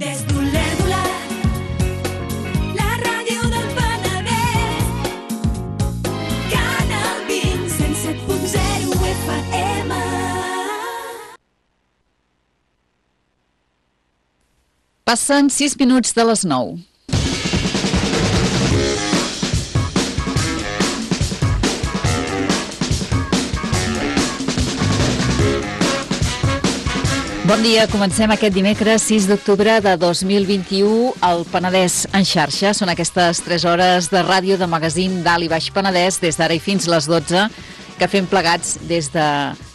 Des d'Olèrdola, la ràdio del Penedès, Canal 20, 107.0 FM. Passen 6 minuts de les 9. Bon dia, comencem aquest dimecres 6 d'octubre de 2021 al Penedès en xarxa. Són aquestes 3 hores de ràdio de magazín d'Alt i Baix Penedès des d'ara i fins les 12 que fem plegats des de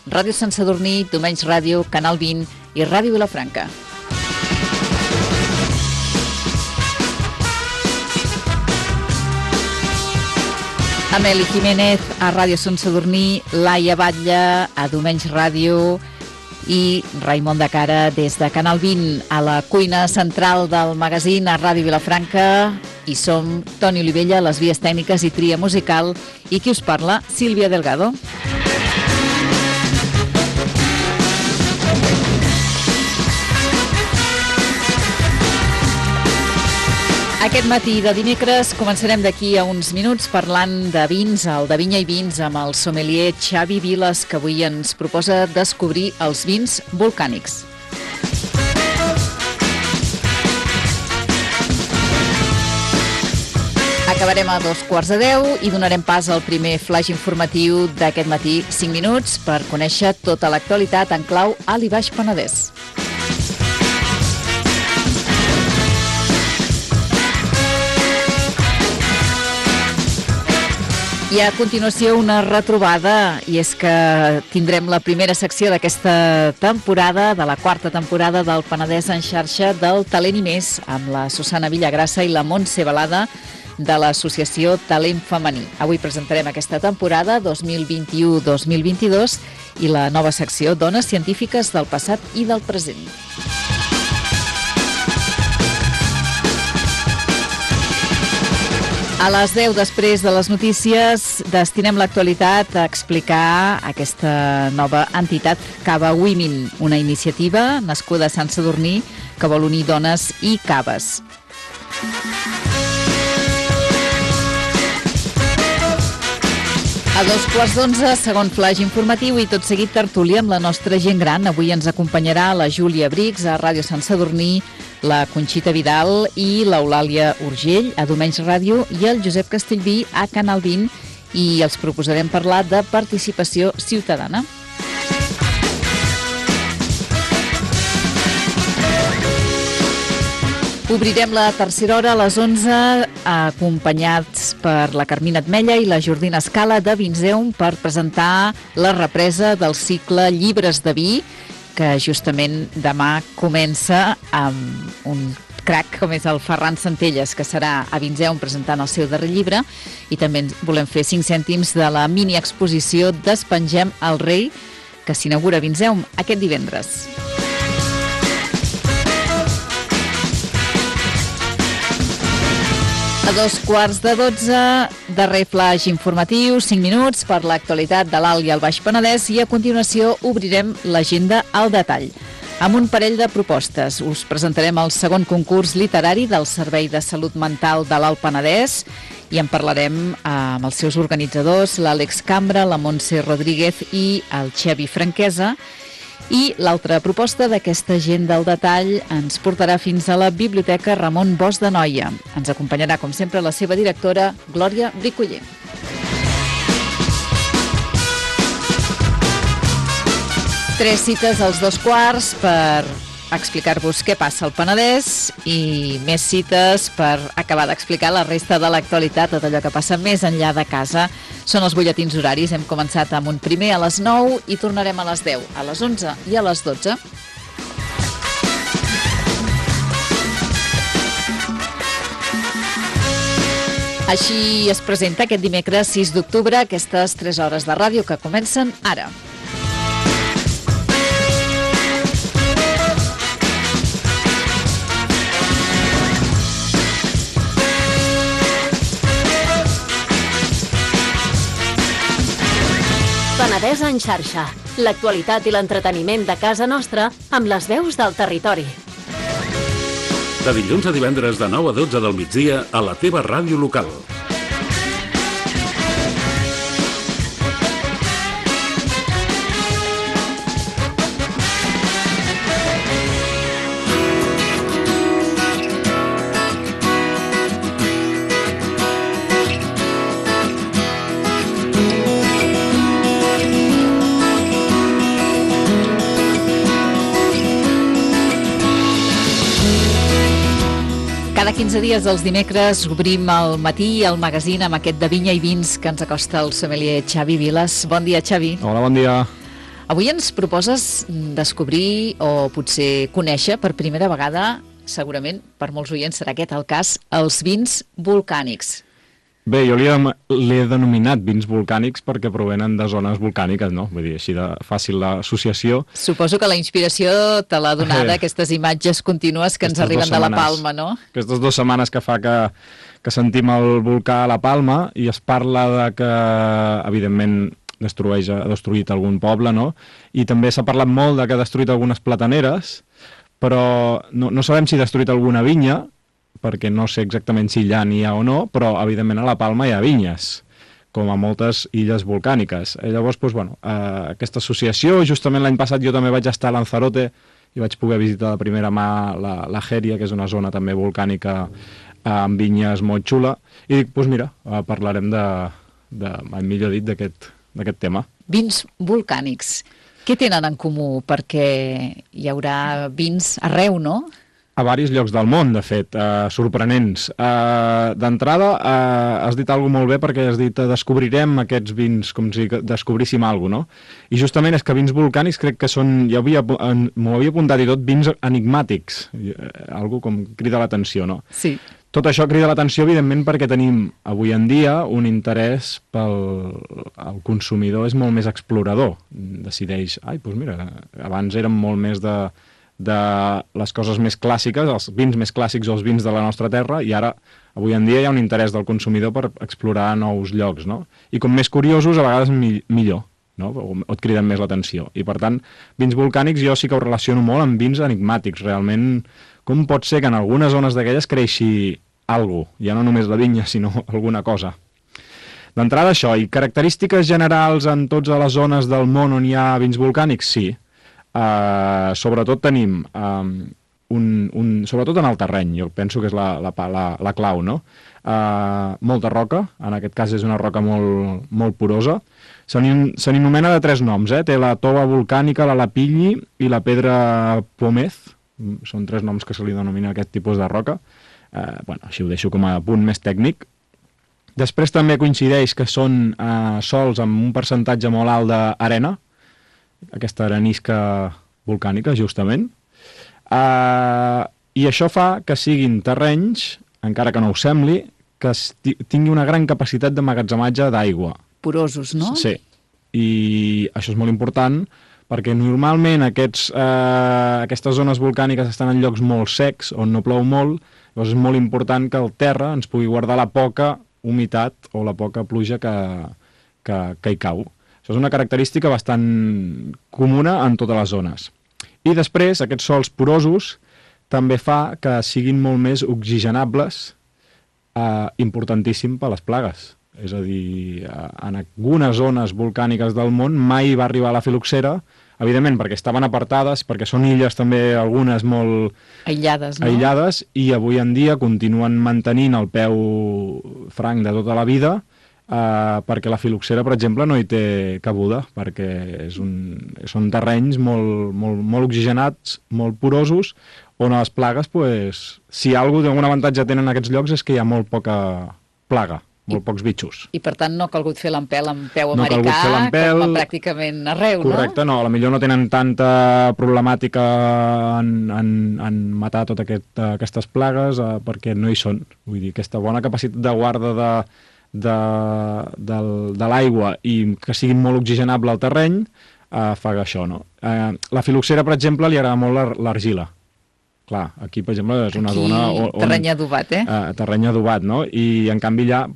Ràdio Sant Sadurní, Domenys Ràdio, Canal 20 i Ràdio Vilafranca. Ameli Jiménez a Ràdio Sant Sadurní, Laia Batlle a Domenys Ràdio i Raimon de Cara des de Canal 20 a la cuina central del magazín a Ràdio Vilafranca. I som Toni Olivella, les vies tècniques i tria musical, i qui us parla, Sílvia Delgado. Aquest matí de dimecres començarem d'aquí a uns minuts parlant de vins, el de Vinya i Vins, amb el sommelier Xavi Viles, que avui ens proposa descobrir els vins volcànics. Acabarem a 9:45 i donarem pas al primer flash informatiu d'aquest matí, 5 minuts, per conèixer tota l'actualitat en clau Alt i Baix Penedès. I a continuació una retrobada, i és que tindrem la primera secció d'aquesta temporada, de la quarta temporada del Penedès en xarxa del Talent i Més, amb la Susana Villagrassa i la Montse Balada de l'associació Talent Femení. Avui presentarem aquesta temporada 2021-2022 i la nova secció Dones Científiques del Passat i del Present. A les 10, després de les notícies, destinem l'actualitat a explicar aquesta nova entitat Cava Women, una iniciativa nascuda a Sant Sadurní que vol unir dones i caves. A 2:15, segon flash informatiu i tot seguit tertúlia amb la nostra gent gran. Avui ens acompanyarà la Júlia Brix a Ràdio Sant Sadurní, la Conxita Vidal i l'Eulàlia Urgell a Domenys Ràdio i el Josep Castellví a Canal 20, i els proposarem parlar de participació ciutadana. Obrirem la tercera hora a les 11, acompanyats per la Carmina Atmella i la Jordina Escala de Vinzeum per presentar la represa del cicle Llibres de Vi, que justament demà comença amb un crac com és el Ferran Centelles, que serà a Vinzeum presentant el seu darrer llibre, i també volem fer 5 cèntims de la mini-exposició Despengem el Rei, que s'inaugura a Vinzeum aquest divendres. A 2:15, darrer flash informatiu, 5 minuts per l'actualitat de l'Alt i el Baix Penedès, i a continuació obrirem l'agenda al detall. Amb un parell de propostes us presentarem el segon concurs literari del Servei de Salut Mental de l'Alt Penedès i en parlarem amb els seus organitzadors, l'Àlex Cambra, la Montse Rodríguez i el Xavi Franquesa. I l'altra proposta d'aquesta agenda al detall ens portarà fins a la Biblioteca Ramon Bosch de Noia. Ens acompanyarà, com sempre, la seva directora, Glòria Bricoller. Tres cites als 2:15 per explicar-vos què passa al Penedès i més cites per acabar d'explicar la resta de l'actualitat, tot allò que passa més enllà de casa. Són els butlletins horaris. Hem començat amb un primer a les 9 i tornarem a les 10, a les 11 i a les 12. Així es presenta aquest dimecres 6 d'octubre aquestes 3 hores de ràdio que comencen ara. Penedès en xarxa. L'actualitat i l'entreteniment de casa nostra amb les veus del territori. De dilluns a divendres de 9 a 12 del migdia a la teva ràdio local. Cada 15 dies dels dimecres obrim al matí el magazín amb aquest de vinya i vins que ens acosta el sommelier Xavi Vilas. Bon dia, Xavi. Hola, bon dia. Avui ens proposes descobrir o potser conèixer per primera vegada, segurament per molts oients serà aquest el cas, els vins volcànics. Bé, jo li he denominat vins volcànics perquè provenen de zones volcàniques, no? Vull dir, així de fàcil l'associació. Suposo que la inspiració te l'ha donada aquestes imatges contínues que ens arriben de la Palma, no? Aquestes 2 setmanes que fa que sentim el volcà a la Palma i es parla de que, evidentment, ha destruït algun poble, no? I també s'ha parlat molt de que ha destruït algunes plataneres, però no sabem si ha destruït alguna vinya, perquè no sé exactament si allà n'hi ha o no, però evidentment a la Palma hi ha vinyes, com a moltes illes volcàniques. Llavors, doncs, bueno, aquesta associació, justament l'any passat jo també vaig estar a Lanzarote i vaig poder visitar de primera mà la Jèria, que és una zona també volcànica amb vinyes molt xula, i dic, doncs mira, parlarem millor dit, d'aquest tema. Vins volcànics. Què tenen en comú? Perquè hi haurà vins arreu, no? A diversos llocs del món, de fet, sorprenents. D'entrada, has dit alguna molt bé perquè has dit descobrirem aquests vins, com si descobríssim alguna cosa, no? I justament és que vins volcànics crec que són, m'ho havia apuntat i tot, vins enigmàtics, algo com crida l'atenció, no? Sí. Tot això crida l'atenció, evidentment, perquè tenim avui en dia un interès el consumidor és molt més explorador. Decideix, doncs mira, abans érem molt més de les coses més clàssiques, els vins més clàssics o els vins de la nostra terra, i ara, avui en dia, hi ha un interès del consumidor per explorar nous llocs, no? I com més curiosos, a vegades millor, no? O et criden més l'atenció. I, per tant, vins volcànics jo sí que ho relaciono molt amb vins enigmàtics. Realment, com pot ser que en algunes zones d'aquelles creixi alguna cosa? Ja no només la vinya, sinó alguna cosa. D'entrada, això. I característiques generals en totes les zones del món on hi ha vins volcànics? Sí. Sobretot tenim, sobretot en el terreny, jo penso que és la clau, no? Molta roca, en aquest cas és una roca molt porosa. Se n'anomena de 3 noms, té la tova volcànica, la lapilli i la pedra pómez. Són 3 noms que se li denomina aquest tipus de roca. Així ho deixo com a punt més tècnic. Després també coincideix que són sols amb un percentatge molt alt d'arena, aquesta arenisca volcànica, justament. I això fa que siguin terrenys, encara que no ho sembli, que tingui una gran capacitat d'emmagatzematge d'aigua. Porosos, no? Sí. I això és molt important perquè normalment aquestes zones volcàniques estan en llocs molt secs, on no plou molt, llavors és molt important que el terra ens pugui guardar la poca humitat o la poca pluja que hi cau. Això és una característica bastant comuna en totes les zones. I després, aquests sòls porosos també fa que siguin molt més oxigenables, importantíssim per les plagues. És a dir, en algunes zones volcàniques del món mai va arribar la filoxera, evidentment perquè estaven apartades, perquè són illes també algunes molt aïllades, no? Aïllades, i avui en dia continuen mantenint el peu franc de tota la vida, perquè la filoxera, per exemple, no hi té cabuda, perquè són terrenys molt oxigenats, molt porosos, on les plagues, si algun avantatge tenen aquests llocs és que hi ha molt poca plaga, molt pocs bitxos. I per tant no ha calgut fer l'empelt amb peu americà, com pràcticament arreu, no? Correcte, no, potser no tenen tanta problemàtica en matar totes aquestes plagues, perquè no hi són. Vull dir, aquesta bona capacitat de guarda de l'aigua i que siguin molt oxigenable al terreny fa això, no? La filoxera, per exemple, li agrada molt l'argila. Clar, aquí, per exemple, és una zona on... Terreny adobat, terreny adobat, no? I, en canvi, allà,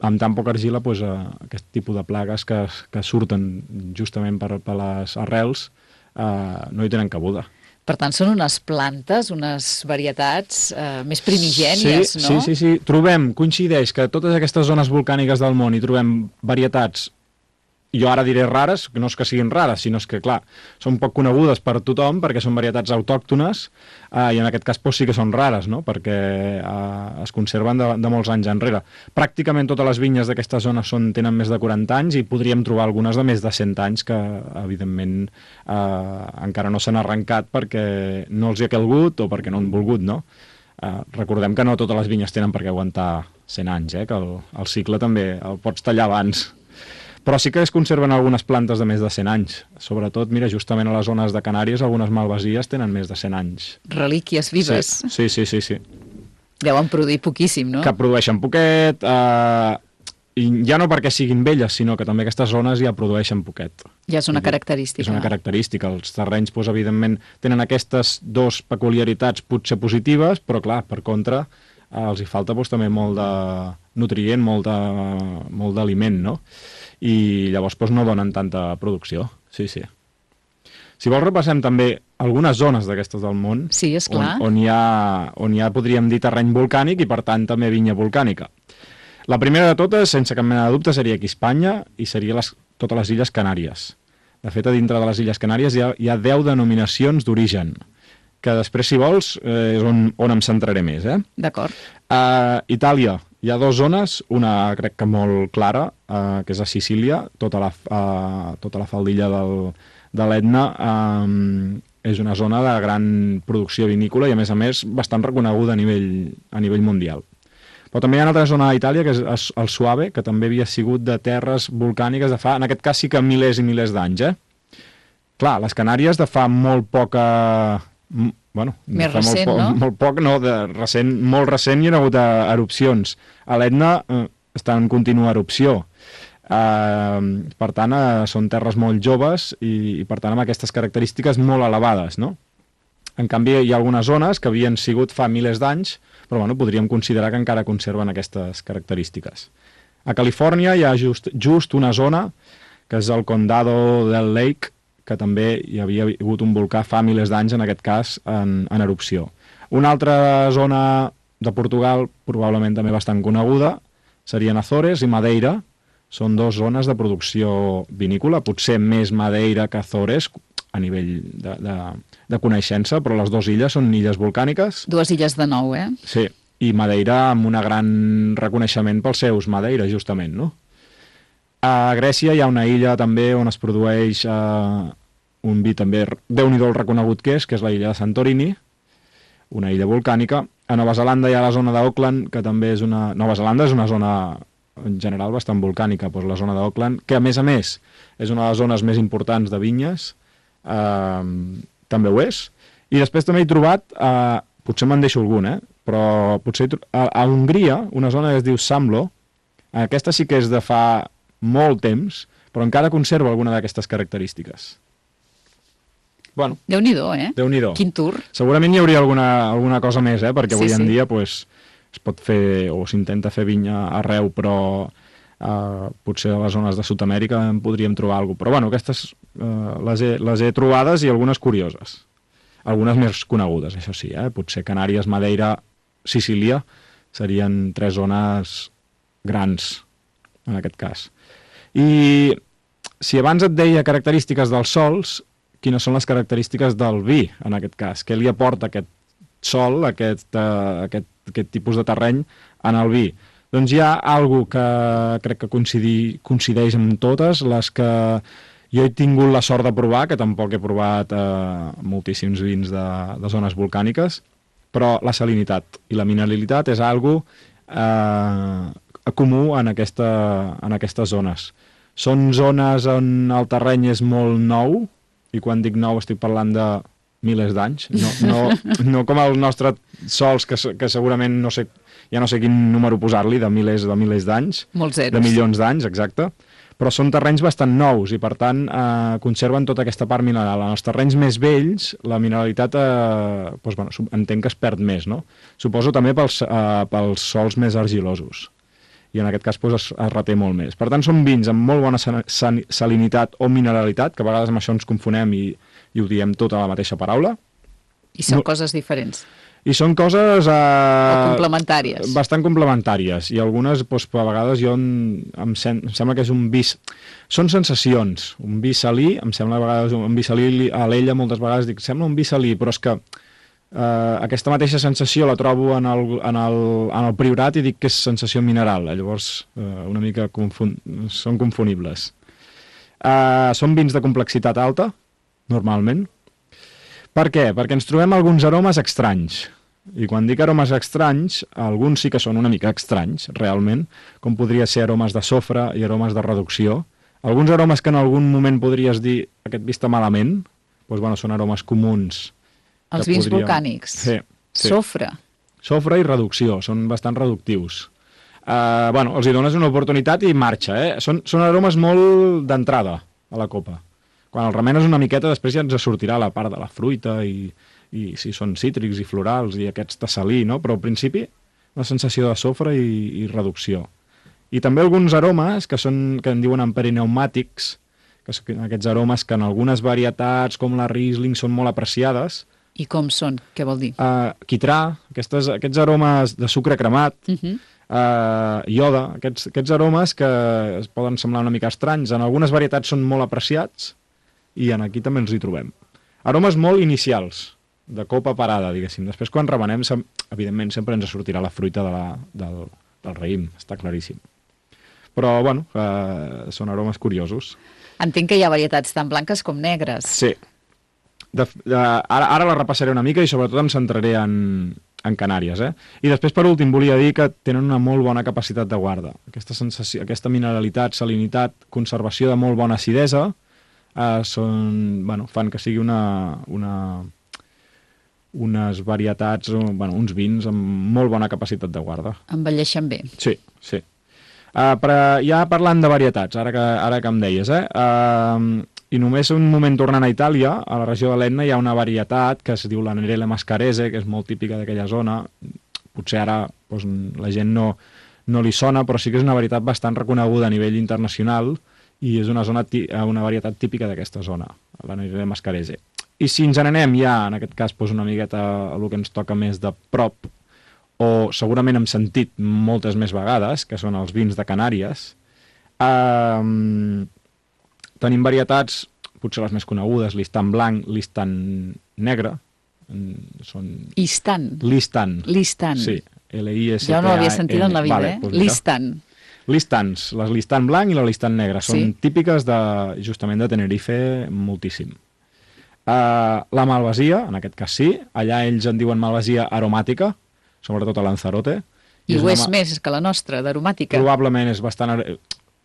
amb tan poca argila, aquest tipus de plagues que surten justament per les arrels no hi tenen cabuda. Per tant, són unes plantes, unes varietats més primigènies, no? Sí. Coincideix que a totes aquestes zones volcàniques del món hi trobem varietats, jo ara diré rares, que no és que siguin rares, sinó que, clar, són poc conegudes per tothom perquè són varietats autòctones i en aquest cas sí que són rares, no? Perquè es conserven de molts anys enrere. Pràcticament totes les vinyes d'aquestes zones tenen més de 40 anys i podríem trobar algunes de més de 100 anys que, evidentment, encara no s'han arrencat perquè no els hi ha calgut o perquè no han volgut, no? Recordem que no totes les vinyes tenen per què aguantar 100 anys, que el cicle també el pots tallar abans. Però sí que es conserven algunes plantes de més de 100 anys. Sobretot, mira, justament a les zones de Canàries, algunes malvasies tenen més de 100 anys. Relíquies vives. Sí. Deuen produir poquíssim, no? Que produeixen poquet, i ja no perquè siguin velles, sinó que també aquestes zones ja produeixen poquet. Ja és una característica. És una característica. Els terrenys, evidentment, tenen aquestes dues peculiaritats potser positives, però, clar, per contra, els hi falta també molt de nutrient, molt d'aliment, no? I llavors no donen tanta producció. Sí. Si vols repassem també algunes zones d'aquestes del món. Sí, esclar. On hi ha, podríem dir, terreny volcànic i per tant també vinya volcànica. La primera de totes, sense cap mena de dubte, seria aquí a Espanya i seria totes les Illes Canàries. De fet, a dintre de les Illes Canàries hi ha 10 denominacions d'origen, que després, si vols, és on em centraré més. D'acord. A Itàlia hi ha 2 zones, una crec que molt clara, que és a Sicília, tota la faldilla de l'Etna, és una zona de gran producció vinícola i, a més, bastant reconeguda a nivell mundial. Però també hi ha una altra zona d'Itàlia, que és el Soave, que també havia sigut de terres volcàniques de fa, en aquest cas sí que milers i milers d'anys. Clar, les Canàries de fa molt poca... més recent, no? Molt poc, no, molt recent hi ha hagut erupcions. A l'Etna està en contínua erupció. Per tant, són terres molt joves i per tant, amb aquestes característiques molt elevades, no? En canvi, hi ha algunes zones que havien sigut fa milers d'anys, però podríem considerar que encara conserven aquestes característiques. A Califòrnia hi ha just una zona, que és el Condado del Lake, que també hi havia hagut un volcà fa milers d'anys, en aquest cas, en erupció. Una altra zona de Portugal, probablement també bastant coneguda, serien Azores i Madeira. Són 2 zones de producció vinícola, potser més Madeira que Azores, a nivell de coneixença, però les 2 illes són illes volcàniques. 2 illes de nou, Sí, i Madeira amb un gran reconeixement pels seus Madeira, justament, no? A Grècia hi ha una illa també on es produeix un vi també, déu-n'hi-do el reconegut que és la illa de Santorini, una illa volcànica. A Nova Zelanda hi ha la zona d'Auckland, que també és una... Nova Zelanda és una zona en general bastant volcànica, doncs la zona d'Auckland, que a més és una de les zones més importants de vinyes, també ho és. I després també he trobat, potser me'n deixo algun, però potser a Hongria, una zona que es diu Samlo, aquesta sí que és de fa molt temps, però encara conserva alguna d'aquestes característiques. Bueno, Déu-n'hi-do, Déu-n'hi-do. Quin tour. Segurament hi hauria alguna cosa més, perquè avui en dia es pot fer, o s'intenta fer vinya arreu, però potser a les zones de Sud-amèrica en podríem trobar alguna cosa. Però bueno, aquestes les he trobades i algunes curioses. Algunes més conegudes, això sí, potser Canàries, Madeira, Sicília serien 3 zones grans, en aquest cas. I si abans et deia característiques dels sols, quines són les característiques del vi, en aquest cas? Què li aporta aquest sol, aquest tipus de terreny en el vi? Doncs hi ha alguna que crec que coincideix amb totes les que jo he tingut la sort de provar, que tampoc he provat moltíssims vins de zones volcàniques, però la salinitat i la mineralitat és algo comú en aquestes zones. Són zones on el terreny és molt nou, i quan dic nou estic parlant de milers d'anys, no com els nostres sols, que segurament ja no sé quin número posar-li, de milers d'anys, molts zeros, de milions d'anys, exacte, però són terrenys bastant nous i per tant conserven tota aquesta part mineral. En els terrenys més vells la mineralitat entenc que es perd més, no? Suposo també pels sols més argilosos, i en aquest cas es reté molt més. Per tant, són vins amb molt bona salinitat o mineralitat, que a vegades amb això ens confonem i ho diem tot a la mateixa paraula, I són coses diferents. I són coses... O complementàries. Bastant complementàries. I algunes, doncs, a vegades, em sembla que és un vi... Són sensacions. Un vi salí, em sembla a vegades un vi salí, a l'ella moltes vegades dic, sembla un vi salí, però és que aquesta mateixa sensació la trobo en el Priorat i dic que és sensació mineral. Llavors, una mica són confonibles. Són vins de complexitat alta, normalment. Per què? Perquè ens trobem alguns aromes estranys. I quan dic aromes estranys, alguns sí que són una mica estranys, realment, com podria ser aromes de sofre i aromes de reducció. Alguns aromes que en algun moment podries dir aquest vi està malament, doncs, bueno, són aromes comuns. Els vins volcànics. Sí. Sofre. Sofre i reducció, són bastant reductius. Bueno, els hi dones una oportunitat i marxa, Són aromes molt d'entrada a la copa. Quan el remenes una miqueta, després ja ens sortirà la part de la fruita i si són cítrics i florals i aquests de salí, no? Però al principi una sensació de sofre i reducció. I també alguns aromes que en diuen emperineumàtics, que són aquests aromes que en algunes varietats com la Riesling són molt apreciades. I com són? Què vol dir? Quitrà, aquests aromes de sucre cremat, ioda, aquests aromes que es poden semblar una mica estranys. En algunes varietats són molt apreciats i aquí també els hi trobem. Aromes molt inicials, de copa parada, diguéssim. Després, quan remenem, evidentment, sempre ens sortirà la fruita del raïm, està claríssim. Però, bueno, són aromes curiosos. Entenc que hi ha varietats tan blanques com negres. Sí. Ara la repassaré una mica i sobretot em centraré en Canàries. I després, per últim, volia dir que tenen una molt bona capacitat de guarda. Aquesta sensació, aquesta mineralitat, salinitat, conservació de molt bona acidesa, fan que sigui unes varietats, uns vins amb molt bona capacitat de guarda. Envelleixen bé. Sí. Ja parlant de varietats, ara que em deies, i només un moment tornant a Itàlia, a la regió de l'Etna hi ha una varietat que es diu la Nerele Mascarese, que és molt típica d'aquella zona. Potser ara la gent no li sona, però sí que és una varietat bastant reconeguda a nivell internacional i és una varietat típica d'aquesta zona, la Nerele Mascarese. I si ens n'anem ja, en aquest cas, una miqueta a el que ens toca més de prop, o segurament hem sentit moltes més vegades, que són els vins de Canàries, tenim varietats, potser les més conegudes, l'Istan blanc, l'Istan negre. Istan. L'Istan. Sí, L-I-S-T-A-N. ja no l'havia sentit en la vida, l'Istan. L'Istans, l'Istan blanc i l'Istan negre, són típiques justament de Tenerife moltíssim. La malvasia, en aquest cas sí, allà ells en diuen malvasia aromàtica, sobretot a Lanzarote. I ho és més que la nostra, d'aromàtica. Probablement és bastant...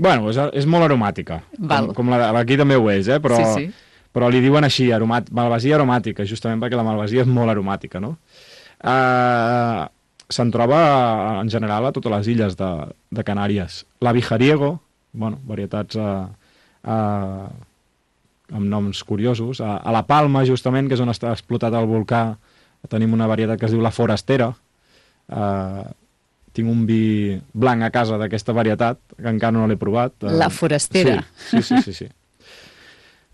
Bueno, és molt aromàtica, com aquí també ho és, però li diuen així, malvasia aromàtica, justament perquè la malvasia és molt aromàtica, no? Se'n troba en general a totes les illes de Canàries. La Vijariego, varietats amb noms curiosos. A la Palma, justament, que és on està explotat el volcà, tenim una varietat que es diu la Forastera. Tinc un vi blanc a casa d'aquesta varietat, que encara no l'he provat. La Forastera. Sí.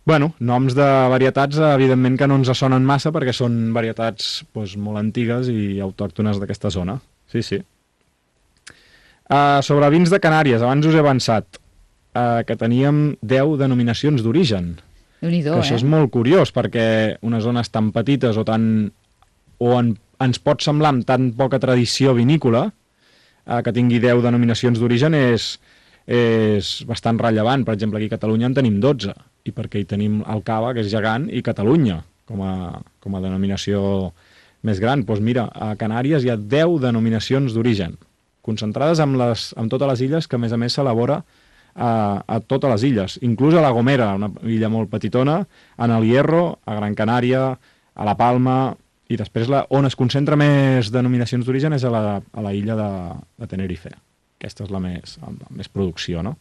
Bueno, noms de varietats, evidentment que no ens sonen massa, perquè són varietats molt antigues i autòctones d'aquesta zona. Sí. Sobre vins de Canàries, abans us he avançat que teníem 10 denominacions d'origen. Déu-n'hi-do, que això és molt curiós, perquè unes zones tan petites ens pot semblar amb tan poca tradició vinícola, que tingui 10 denominacions d'origen és bastant rellevant. Per exemple, aquí a Catalunya en tenim 12, i perquè hi tenim el Cava, que és gegant, i Catalunya, com a denominació més gran. Doncs mira, a Canàries hi ha 10 denominacions d'origen, concentrades en totes les illes, que a més s'elabora a totes les illes, inclús a La Gomera, una illa molt petitona, en el Hierro, a Gran Canària, a La Palma, i després on es concentra més denominacions d'origen és a la illa de Tenerife. Aquesta és la més producció, no?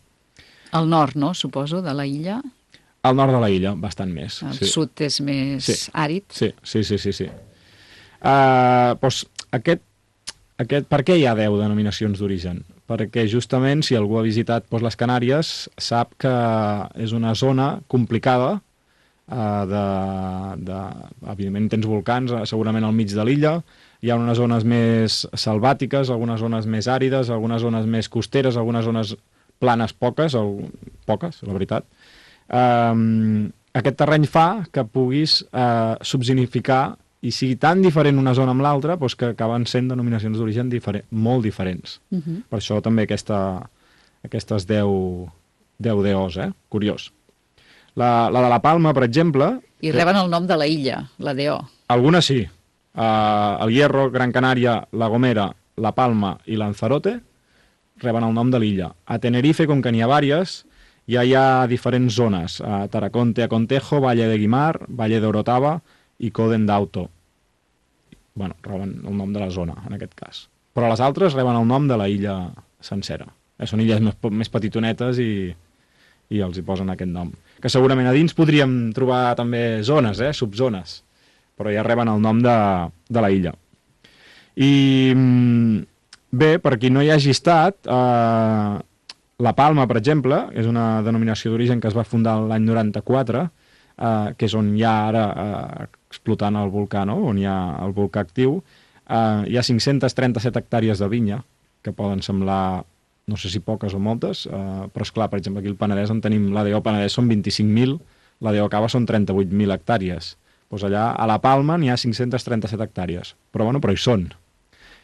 Al nord, no?, suposo, de la illa. Al nord de la illa, bastant més. El sud és més àrid. Sí. Per què hi ha 10 denominacions d'origen? Perquè justament si algú ha visitat les Canàries sap que és una zona complicada evidentment tens volcans, segurament al mig de l'illa, hi ha unes zones més selvàtiques, algunes zones més àrides, algunes zones més costeres, algunes zones planes poques, la veritat. Aquest terreny fa que puguis subsignificar i sigui tan diferent una zona amb l'altra doncs que acaben sent denominacions d'origen molt diferents. Per això també aquestes 10 DOs, curiós. La de la Palma, per exemple... I reben el nom de la illa, la DO. Algunes sí. El Hierro, Gran Canària, La Gomera, La Palma i Lanzarote reben el nom de l'illa. A Tenerife, com que n'hi ha vàries, ja hi ha diferents zones. A Taraconte, a Contejo, Valle de Guimar, Valle de Orotava i Coden d'Auto. Bueno, reben el nom de la zona, en aquest cas. Però les altres reben el nom de la illa sencera. Són illes més petitonetes i els hi posen aquest nom. Que segurament a dins podríem trobar també zones, subzones, però ja reben el nom de la illa. I bé, per qui no hi hagi estat, La Palma, per exemple, és una denominació d'origen que es va fundar l'any 94, que és on hi ha ara explotant el volcà, no? On hi ha el volcà actiu. Hi ha 537 hectàrees de vinya, que poden semblar, no sé si poques o moltes, però esclar, per exemple, aquí al Penedès en tenim, la DO Penedès són 25.000, la DO Cava són 38.000 hectàrees. Doncs allà a La Palma n'hi ha 537 hectàrees, però hi són.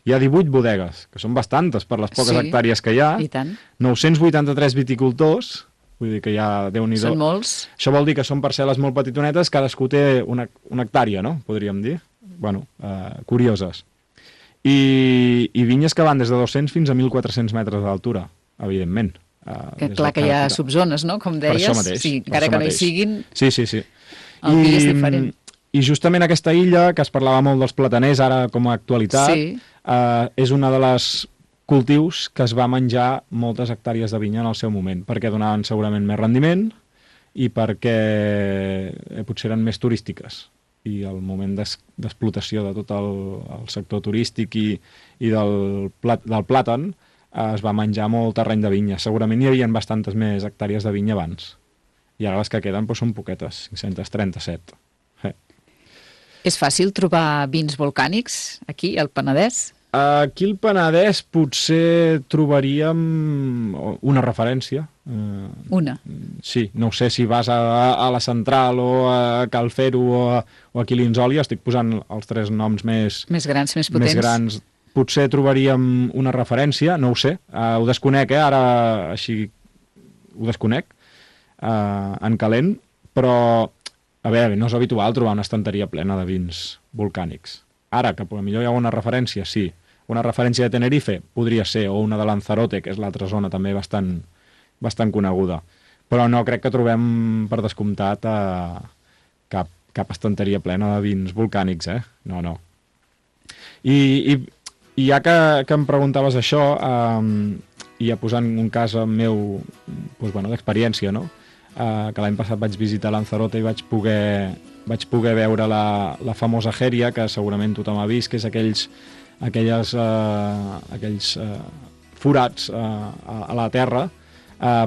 Hi ha 18 bodegues, que són bastantes per les poques hectàrees que hi ha, i tant. 983 viticultors, vull dir que ja Déu-n'hi-do. Són molts. Això vol dir que són parcel·les molt petitonetes, cadascú té una hectàrea, no? Podríem dir. Bueno, curioses. I vinyes que van des de 200 fins a 1.400 metres d'altura, evidentment. Clar que hi ha subzones, no? Com deies. Per això mateix. Sí, encara que no hi siguin, sí. el vi és diferent. I justament aquesta illa, que es parlava molt dels plataners, ara com a actualitat, és una de les cultius que es va menjar moltes hectàrees de vinya en el seu moment, perquè donaven segurament més rendiment i perquè potser eren més turístiques. I el moment d'explotació de tot el sector turístic i del plàtan es va menjar molt terreny de vinya. Segurament hi havia bastantes més hectàrees de vinya abans. I ara les que queden són poquetes, 537. És fàcil trobar vins volcànics aquí, al Penedès? Aquí al Penedès potser trobaríem una referència. Una? Sí, no sé si vas a la Central o a Cal Fero o a Quilins-Oli, estic posant els 3 noms més grans, més potents. Més grans. Potser trobaríem una referència, no ho sé, ho desconec, ara així ho desconec, en calent, però a veure, no és habitual trobar una estanteria plena de vins volcànics. Ara, que potser hi ha una referència, sí. Una referència de Tenerife podria ser, o una de Lanzarote, que és l'altra zona també bastant coneguda. Però no crec que trobem, per descomptat, cap estanteria plena de vins volcànics, No. I ja que em preguntaves això, i ja posant un cas meu d'experiència, no? Que l'any passat vaig visitar Lanzarote i vaig poder veure la famosa Jeria, que segurament tothom ha vist, que és aquells forats a la terra.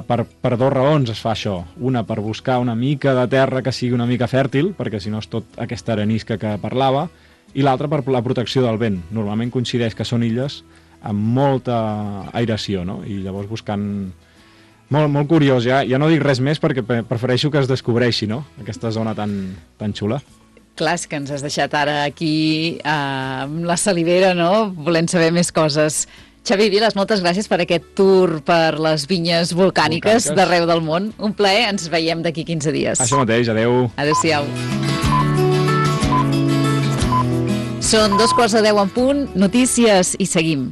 Per 2 raons es fa això. Una, per buscar una mica de terra que sigui una mica fèrtil, perquè si no és tot aquesta arenisca que parlava, i l'altra per la protecció del vent. Normalment coincideix que són illes amb molta aeració, no? I llavors buscant... Molt curiós, ja no dic res més perquè prefereixo que es descobreixi, no?, aquesta zona tan xula. Clar, és que ens has deixat ara aquí amb la salivera, no?, volent saber més coses. Xavi Viles, moltes gràcies per aquest tour per les vinyes volcàniques d'arreu del món. Un plaer, ens veiem d'aquí 15 dies. Això mateix, adeu. Adéu-siau. Són 2:15 en punt, notícies i seguim.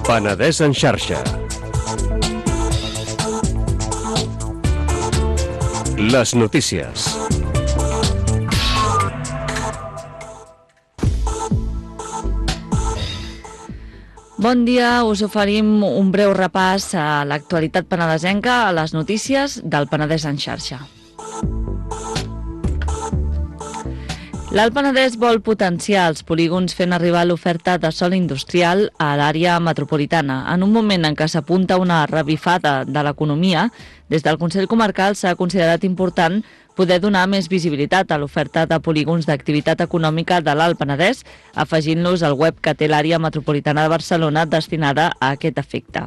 Penedès en xarxa. Les notícies. Bon dia, us oferim un breu repàs a l'actualitat penedesenca, a les notícies del Penedès en xarxa. L'Alt Penedès vol potenciar els polígons fent arribar l'oferta de sòl industrial a l'àrea metropolitana. En un moment en què s'apunta una revifada de l'economia, des del Consell Comarcal s'ha considerat important poder donar més visibilitat a l'oferta de polígons d'activitat econòmica de l'Alt Penedès, afegint-los al web que té l'àrea metropolitana de Barcelona destinada a aquest efecte.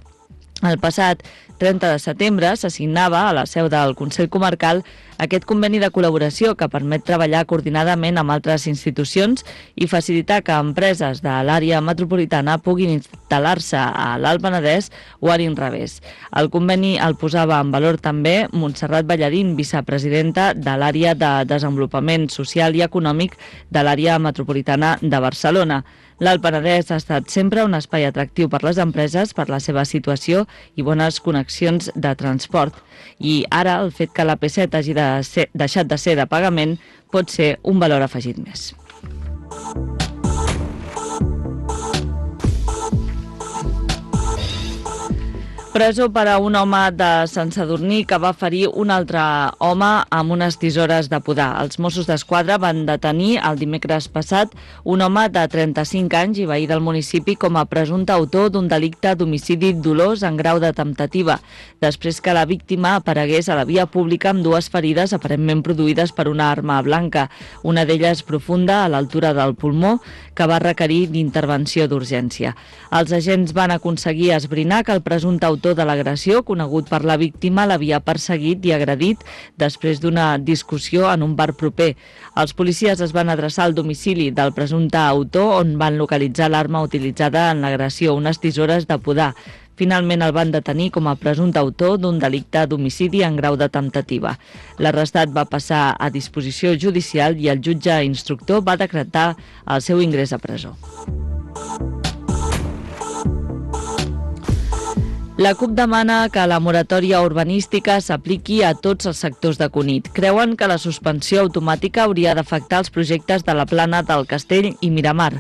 El passat 30 de setembre s'assignava a la seu del Consell Comarcal aquest conveni de col·laboració que permet treballar coordinadament amb altres institucions i facilitar que empreses de l'àrea metropolitana puguin instal·lar-se a l'Alt Penedès o a l'inrevés. El conveni el posava en valor també Montserrat Ballarín, vicepresidenta de l'àrea de desenvolupament social i econòmic de l'àrea metropolitana de Barcelona. L'Alt Penedès ha estat sempre un espai atractiu per les empreses per la seva situació i bones connexions de transport. I ara el fet que l'AP7 hagi deixat de ser de pagament pot ser un valor afegit més. Presó per a un home de Sant Sadurní que va ferir un altre home amb unes tisores de podar. Els Mossos d'Esquadra van detenir el dimecres passat un home de 35 anys i veí del municipi com a presumpte autor d'un delicte d'homicidi dolós en grau de temptativa, després que la víctima aparegués a la via pública amb dues ferides aparentment produïdes per una arma blanca, una d'elles profunda a l'altura del pulmó, que va requerir d'intervenció d'urgència. Els agents van aconseguir esbrinar que el presumpte autor de l'agressió, conegut per la víctima, l'havia perseguit i agredit després d'una discussió en un bar proper. Els policies es van adreçar al domicili del presumpte autor, on van localitzar l'arma utilitzada en l'agressió, unes tisores de podar. Finalment el van detenir com a presumpte autor d'un delicte d'homicidi en grau de temptativa. L'arrestat va passar a disposició judicial i el jutge instructor va decretar el seu ingrés a presó. La CUP demana que la moratòria urbanística s'apliqui a tots els sectors de Cunit. Creuen que la suspensió automàtica hauria d'afectar els projectes de la Plana del Castell i Miramar.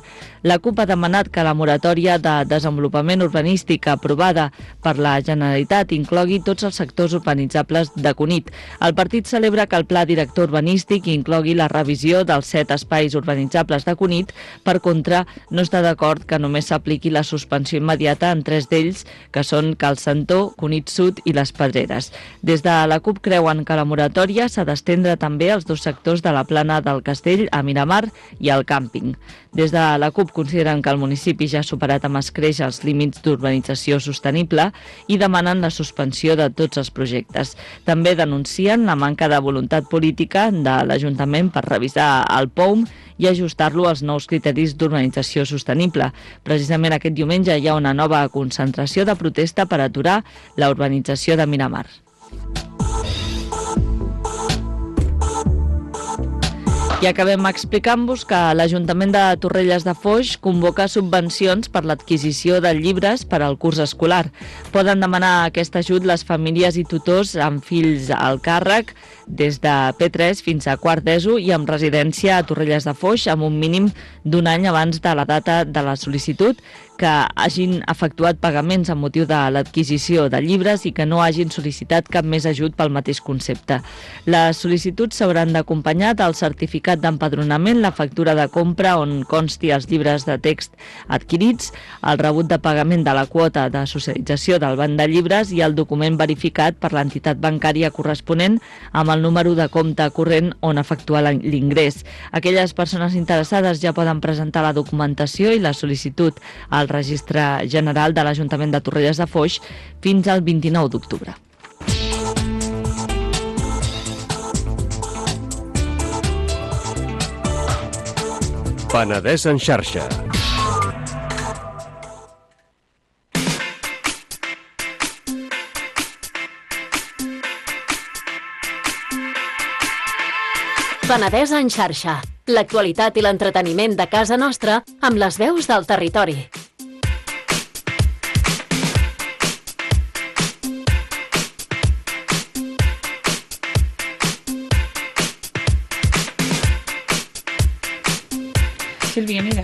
La CUP ha demanat que la moratòria de desenvolupament urbanístic aprovada per la Generalitat inclogui tots els sectors urbanitzables de Cunit. El partit celebra que el pla director urbanístic inclogui la revisió dels 7 espais urbanitzables de Cunit. Per contra, no està d'acord que només s'apliqui la suspensió immediata en 3 d'ells, que són Cal Santó, Cunit Sud i les Pedreres. Des de la CUP creuen que la moratòria s'ha d'estendre també als 2 sectors de la Plana del Castell, a Miramar i al càmping. Des de la CUP consideren que el municipi ja ha superat amb escreix els límits d'urbanització sostenible i demanen la suspensió de tots els projectes. També denuncien la manca de voluntat política de l'Ajuntament per revisar el POUM i ajustar-lo als nous criteris d'urbanització sostenible. Precisament aquest diumenge hi ha una nova concentració de protesta per aturar la urbanització de Miramar. I acabem explicant-vos que l'Ajuntament de Torrelles de Foix convoca subvencions per l'adquisició de llibres per al curs escolar. Poden demanar aquest ajut les famílies i tutors amb fills al càrrec des de P3 fins a quart d'ESO i amb residència a Torrelles de Foix amb un mínim d'un any abans de la data de la sol·licitud, que hagin efectuat pagaments amb motiu de l'adquisició de llibres i que no hagin sol·licitat cap més ajut pel mateix concepte. Les sol·licituds s'hauran d'acompanyar del certificat d'empadronament, la factura de compra on consti els llibres de text adquirits, el rebut de pagament de la quota de socialització del banc de llibres i el document verificat per l'entitat bancària corresponent amb el número de compte corrent on efectuar l'ingrés. Aquelles persones interessades ja poden presentar la documentació i la sol·licitud al Registre General de l'Ajuntament de Torrelles de Foix fins al 29 d'octubre. Penedès en xarxa. Penedès en xarxa. L'actualitat i l'entreteniment de casa nostra amb les veus del territori. Sílvia, mira.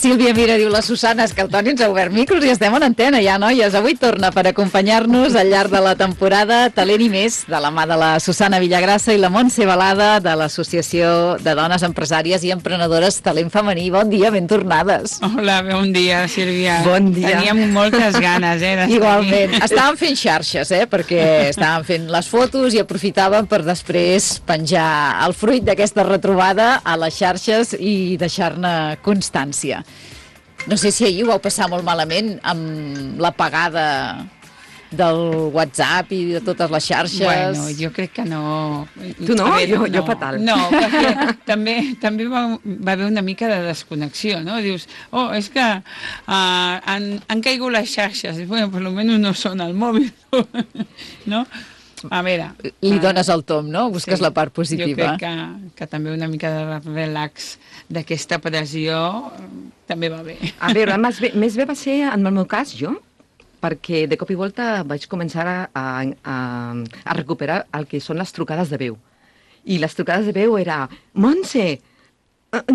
Sílvia mira, diu la Susana, és que el Toni ens ha obert micros i estem en antena ja, noies. Avui torna per acompanyar-nos al llarg de la temporada Talent i Més, de la mà de la Susana Villagrassa i la Montse Balada, de l'Associació de Dones Empresàries i Emprenedores Talent Femení. Bon dia, ben tornades. Hola, bon dia, Sílvia. Bon dia. Teníem moltes ganes, Igualment. Estàvem fent xarxes, perquè estàvem fent les fotos i aprofitàvem per després penjar el fruit d'aquesta retrobada a les xarxes i deixar-ne constància. No sé si ahir ho vau passar molt malament amb l'apagada del WhatsApp i de totes les xarxes. Bueno, jo crec que no. Tu no? Jo fatal. No, perquè també va haver una mica de desconnexió, no? Dius, és que han caigut les xarxes. Bueno, per almenys no són al mòbil, no? A veure... Li dones el tom, no? Busques la part positiva. Jo crec que també una mica de relax d'aquesta pressió també va bé. A veure, més bé va ser, en el meu cas, jo, perquè de cop i volta vaig començar a recuperar el que són les trucades de veu. I les trucades de veu era, Montse,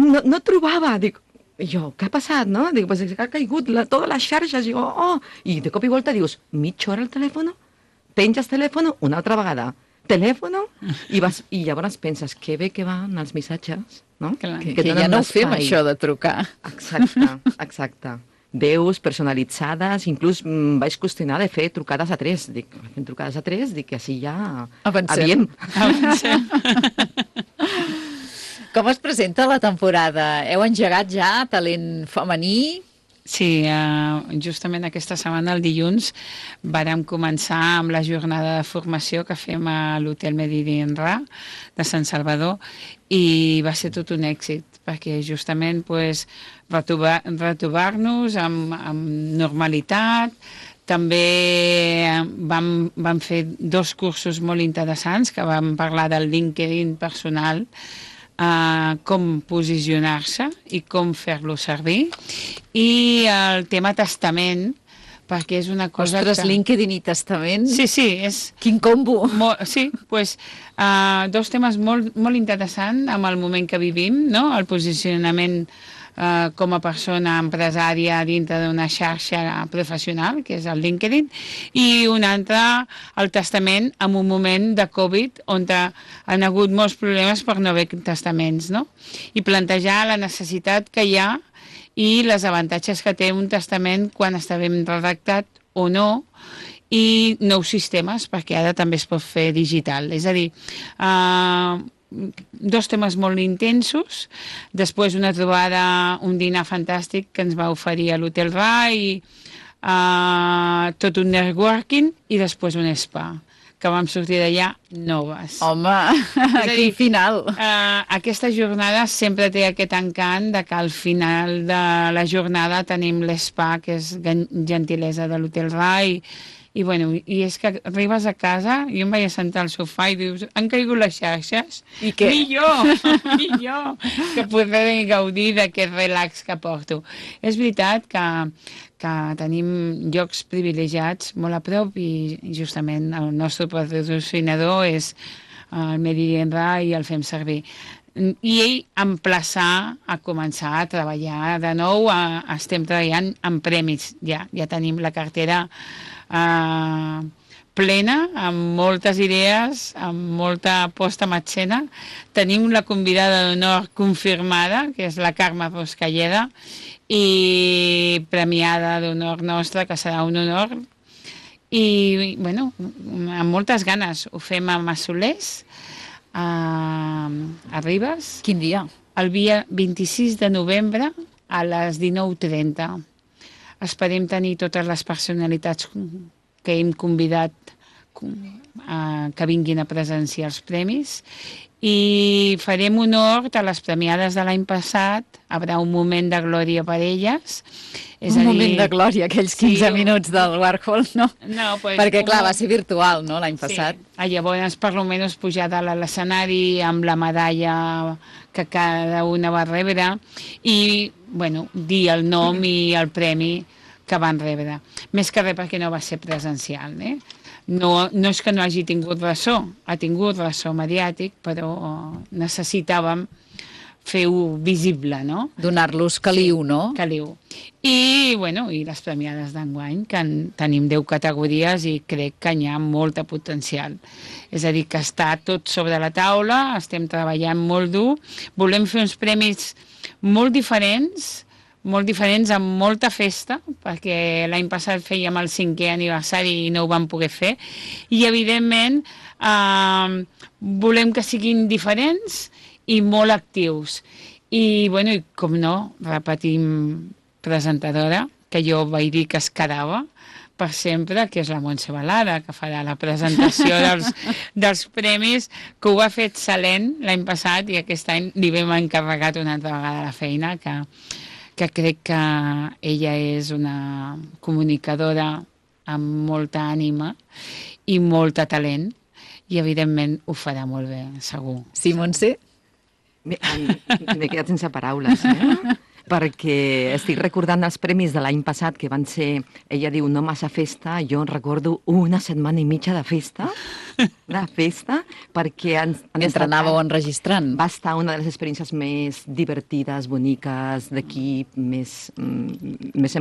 no trobava, dic, jo, què ha passat, no? Dic, pues ha caigut totes les xarxes, i i de cop i volta dius, mitja hora al telèfon? Penges telèfon una altra vegada, telèfon, i llavors penses que bé que van els missatges, no? Que ja no ho fem, això de trucar. Exacte. Veus personalitzades, inclús vaig qüestionar de fer trucades a 3. Dic, fem trucades a 3, dic que així ja... Avancem. Com es presenta la temporada? Heu engegat ja talent femení? Sí, justament aquesta setmana, el dilluns, vàrem començar amb la jornada de formació que fem a l'Hotel Mediterrani de Sant Salvador i va ser tot un èxit, perquè justament retrobar-nos amb normalitat. També vam fer 2 cursos molt interessants que vam parlar del LinkedIn personal, com posicionar-se i com fer-lo servir, i el tema testament, perquè és una cosa... Ostres, LinkedIn i testament? Sí, és... Quin combo! Sí, doncs 2 temes molt interessants amb el moment que vivim, no? El posicionament com a persona empresària dintre d'una xarxa professional, que és el LinkedIn, i un altre, el testament, en un moment de Covid, on han hagut molts problemes per no haver testaments, no? I plantejar la necessitat que hi ha i les avantatges que té un testament quan està ben redactat o no, i nous sistemes, perquè ara també es pot fer digital. És a dir, 2 temes molt intensos, després una trobada, un dinar fantàstic que ens va oferir a l'Hotel Rai, tot un networking i després un spa, que vam sortir d'allà noves. Home, quin final! Aquesta jornada sempre té aquest encant de que al final de la jornada tenim l'spa, que és gentilesa de l'Hotel Rai, i és que arribes a casa, jo em vaig sentar al sofà i dius, han caigut les xarxes? I què? Millor, que podré gaudir d'aquest relax que porto. És veritat que tenim llocs privilegiats molt a prop i justament el nostre patrocinador és el Mediterrani i el fem servir. I ell emplaçar a començar a treballar de nou, estem treballant en premis, ja tenim la cartera plena, amb moltes idees, amb molta posta en escena. Tenim la convidada d'honor confirmada, que és la Carme Roscalleda, i premiada d'honor nostra, que serà un honor. I, amb moltes ganes. Ho fem a Massolers, a Ribes. Quin dia? El dia 26 de novembre a les 19:30. Esperem tenir totes les personalitats que hem convidat que vinguin a presenciar els premis i farem honor a les premiades de l'any passat. Haurà un moment de glòria per elles. Moment de glòria, aquells 15 minuts del Warhol, no? No, perquè, clar, va ser virtual, no?, l'any passat. Llavors, per almenys pujar dalt a l'escenari amb la medalla que cada una va rebre i, dir el nom i el premi que van rebre. Més que res perquè no va ser presencial, No és que no hagi tingut ressò, ha tingut ressò mediàtic, però necessitàvem fer-ho visible, no? Donar-los caliu, no? Caliu. I, bueno, i les premiades d'enguany, que tenim 10 categories i crec que hi ha molt potencial. És a dir, que està tot sobre la taula, estem treballant molt dur, volem fer uns premis molt diferents amb molta festa, perquè l'any passat fèiem el 5è aniversari i no ho vam poder fer, i evidentment volem que siguin diferents i molt actius. I, bueno, i com no, repetim presentadora, que jo vaig dir que es quedava per sempre, que és la Montse Balada, que farà la presentació dels premis, que ho ha fet excel·lent l'any passat i aquest any li vam encarregat una altra vegada la feina, que crec que ella és una comunicadora amb molta ànima i molt talent, i evidentment ho farà molt bé, segur. Sí, Montse? M'he quedat sense paraules, perquè estic recordant els premis de l'any passat, que van ser, ella diu, no massa festa, jo recordo una setmana i mitja de festa, perquè mentre anàveu enregistrant. Va estar una de les experiències més divertides, boniques, d'equip, més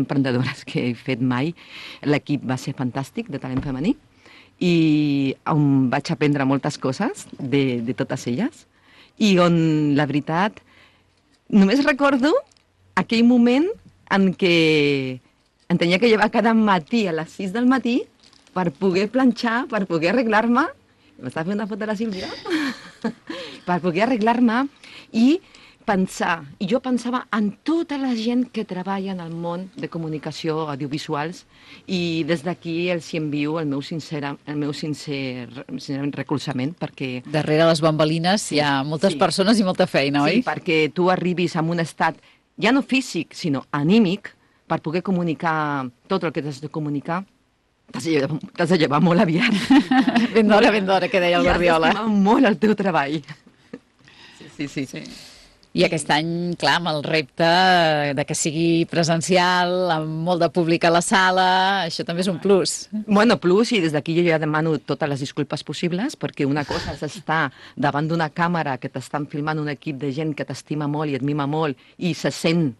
emprenedores que he fet mai. L'equip va ser fantàstic, de talent femení, i on vaig aprendre moltes coses de totes elles, i on, la veritat, només recordo aquell moment en què em tenia que llevar cada matí a les 6 del matí per poder planxar, per poder arreglar-me. M'estava fent una foto de la Sílvia? Per poder arreglar-me i pensar. I jo pensava en tota la gent que treballa en el món de comunicació audiovisuals, i des d'aquí els envio el meu sincer recolzament, perquè... Darrere les bambolines hi ha moltes persones i molta feina, oi? Sí, perquè tu arribis a un estat ja no físic, sinó anímic, per poder comunicar tot el que has de comunicar. T'has de llevar molt aviat. Ben d'hora, que deia el Guardiola. I has d'estimar molt el teu treball. Sí. I aquest any, clar, amb el repte de que sigui presencial, amb molt de públic a la sala, això també és un plus. Bueno, plus, i des d'aquí jo ja demano totes les disculpes possibles, perquè una cosa és estar davant d'una càmera que t'estan filmant un equip de gent que t'estima molt i et mima molt, i se sent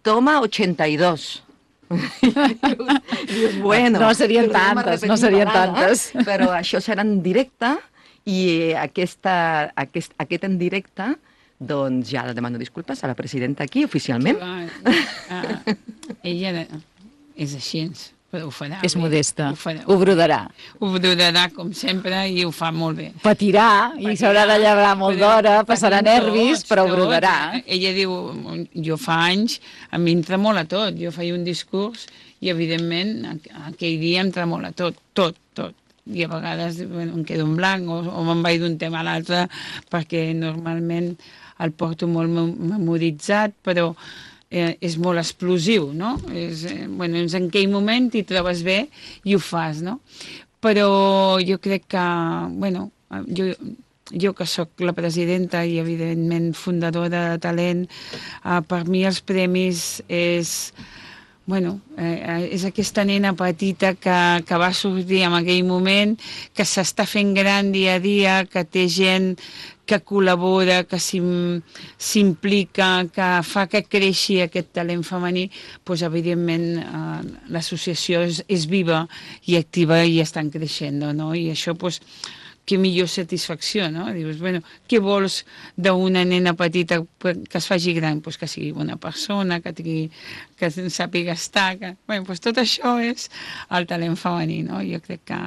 toma 82. Dius, bueno... No serien tantes. Però això serà en directe, i aquest en directe, doncs ja demano disculpes a la presidenta aquí, oficialment. Ella és així, però ho farà. És modesta, ho brodarà. Ho brodarà, com sempre, i ho fa molt bé. Patirà, i s'haurà de llevar molt d'hora, passarà nervis, però ho brodarà. Ella diu, jo fa anys, a mi em tremola tot. Jo feia un discurs i, evidentment, aquell dia em tremola tot. I a vegades em quedo en blanc o me'n vaig d'un tema a l'altre, perquè normalment el porto molt memoritzat, però és molt explosiu, no? És en aquell moment t'hi trobes bé i ho fas, no? Però jo crec que, jo que sóc la presidenta i, evidentment, fundadora de Talent, per mi els premis és aquesta nena petita que va sortir en aquell moment, que s'està fent gran dia a dia, que té gent que col·labora, que s'implica, que fa que creixi aquest talent femení, doncs, evidentment, l'associació és viva i activa i estan creixent, no? I això, doncs, que millor satisfacció, no? Dius, què vols d'una nena petita que es faci gran? Pues que sigui una persona, que sàpiga estar... Tot això és el talent femení, no? Jo crec que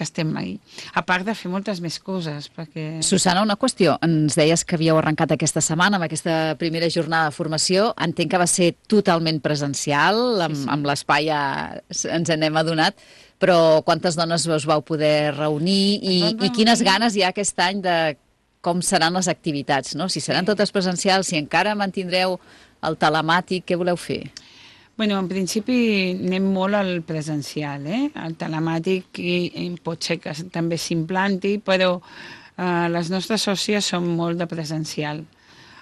estem ahí. A part de fer moltes més coses, perquè... Susana, una qüestió. Ens deies que havíeu arrencat aquesta setmana amb aquesta primera jornada de formació. Entenc que va ser totalment presencial, amb l'espai ja ens n'hem adonat, però quantes dones us vau poder reunir i quines ganes hi ha aquest any de com seran les activitats, no? Si seran totes presencials, si encara mantindreu el telemàtic, què voleu fer? En principi anem molt al presencial, El telemàtic pot ser que també s'implanti, però les nostres sòcies són molt de presencial.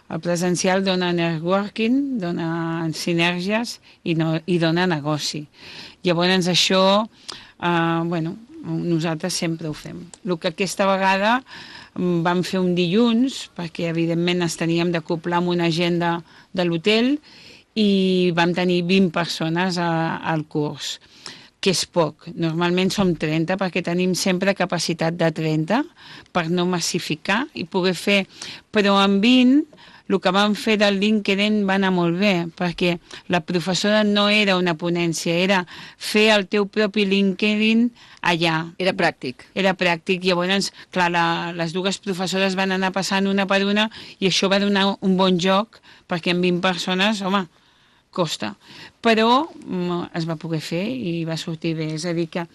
El presencial dona networking, dona sinergies i dona negoci. Llavors això, nosaltres sempre ho fem. El que aquesta vegada vam fer un dilluns, perquè evidentment ens teníem d'acoplar amb una agenda de l'hotel i vam tenir 20 persones al curs, que és poc. Normalment som 30 perquè tenim sempre capacitat de 30 per no massificar i poder fer, però amb 20 el que vam fer del LinkedIn va anar molt bé, perquè la professora no era una ponència, era fer el teu propi LinkedIn allà. Era pràctic. Era pràctic. Llavors, clar, les dues professores van anar passant una per una i això va donar un bon joc, perquè amb 20 persones, home, costa. Però es va poder fer i va sortir bé. És a dir, que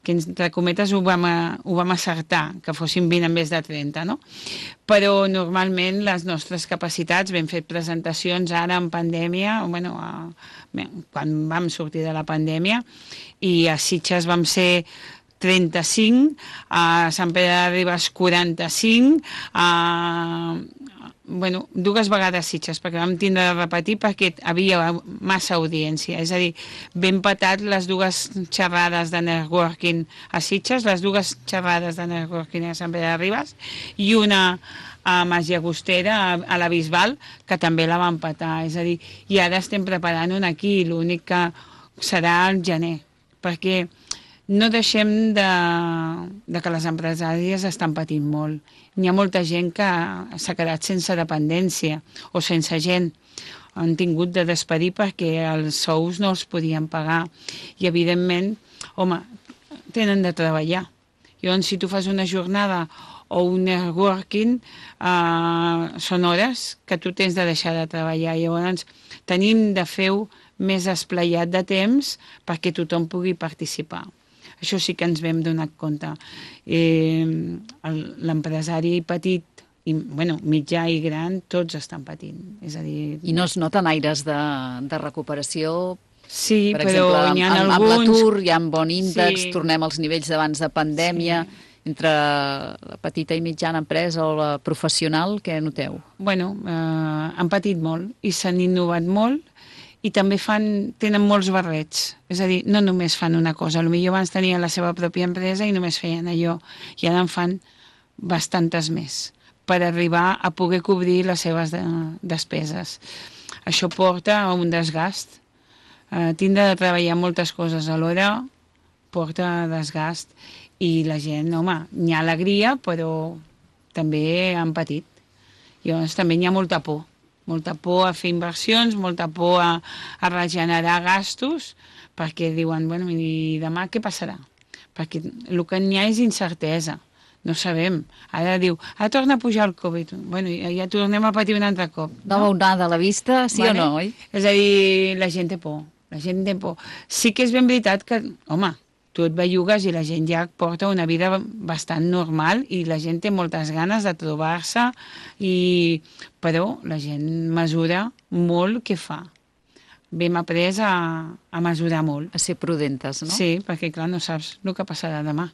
entre cometes ho vam acertar, que fossin 20 en vez de 30, no? Però normalment les nostres capacitats, vam fer presentacions ara en pandèmia, bueno, quan vam sortir de la pandèmia, i a Sitges vam ser 35, a Sant Pere de Ribes 45, bueno, 2 vegades Sitges, perquè vam tindre de repetir perquè havia massa audiència. És a dir, ben patat les 2 xerrades de networking a Sitges, les 2 xerrades de networking a Sant Pere de Ribes i una a Mas Llagostera, a la Bisbal, que també la van patar. És a dir, i ara estem preparant una aquí, l'únic que serà al gener, perquè no deixem de que les empresàries estan patint molt. N'hi ha molta gent que s'ha quedat sense dependència o sense gent. Han tingut de despedir perquè els sous no els podien pagar. I, evidentment, home, tenen de treballar. Llavors, si tu fas una jornada o un networking, són hores que tu tens de deixar de treballar. Llavors, tenim de fer-ho més esplaiat de temps perquè tothom pugui participar. Això sí que ens vam donar compte. L'empresari petit, mitjà i gran, tots estan patint. És a dir... I no es noten aires de recuperació? Sí, per però exemple, n'hi ha alguns... alguns... Amb l'atur hi ha un bon índex, Sí. tornem als nivells d'abans de pandèmia. Sí. Entre la petita i mitjana empresa o la professional, què noteu? Bueno, han patit molt i s'han innovat molt i també tenen molts barrets. És a dir, no només fan una cosa. Potser abans tenien la seva pròpia empresa i només feien allò. I ara en fan bastantes més per arribar a poder cobrir les seves despeses. Això porta a un desgast. Tindre de treballar moltes coses alhora porta desgast i la gent, home, n'hi ha alegria, però també han patit. Llavors també n'hi ha molta por a fer inversions, molta por a regenerar gastos, perquè diuen, bueno, i demà què passarà? Perquè el que n'hi ha és incertesa. No sabem. Ara diu, ara torna a pujar el Covid. Bueno, ja tornem a patir un altre cop. Nova onada a la vista, sí o no, oi? És a dir, la gent té por. La gent té por. Sí que és ben veritat que, home, tu et bellugues i la gent ja porta una vida bastant normal i la gent té moltes ganes de trobar-se, però la gent mesura molt què fa. Hem après a mesurar molt. A ser prudentes, no? Sí, perquè clar, no saps el que passarà demà.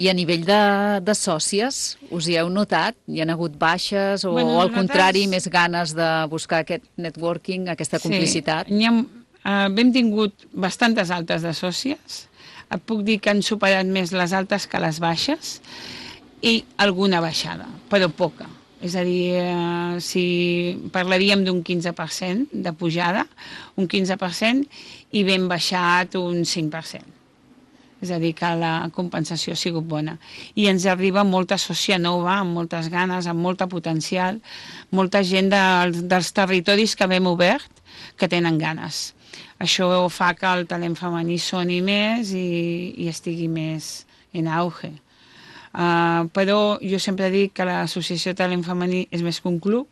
I a nivell de sòcies, us hi heu notat? Hi ha hagut baixes o al contrari, més ganes de buscar aquest networking, aquesta complicitat? Sí, hem tingut bastantes altes de sòcies. Et puc dir que han superat més les altes que les baixes i alguna baixada, però poca. És a dir, si parlaríem d'un 15% de pujada, un 15%, i ben baixat un 5%. És a dir, que la compensació ha sigut bona. I ens arriba molta sòcia nova, amb moltes ganes, amb molta potencial, molta gent dels territoris que hem obert que tenen ganes. Això fa que el talent femení soni més i estigui més en auge. Però jo sempre dic que l'Associació de Talent Femení és més que un club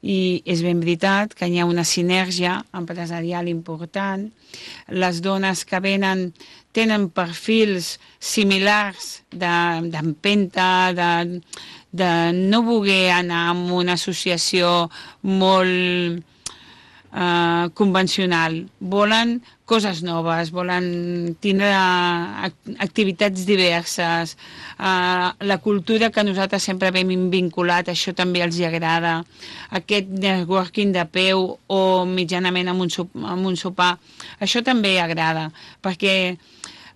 i és ben veritat que hi ha una sinergia empresarial important. Les dones que venen tenen perfils similars d'empenta, de no voler anar a una associació molt convencional. Volen coses noves, volen tindre activitats diverses. La cultura que nosaltres sempre hem vinculat, això també els agrada. Aquest networking de peu o mitjanament amb un sopar, això també agrada, perquè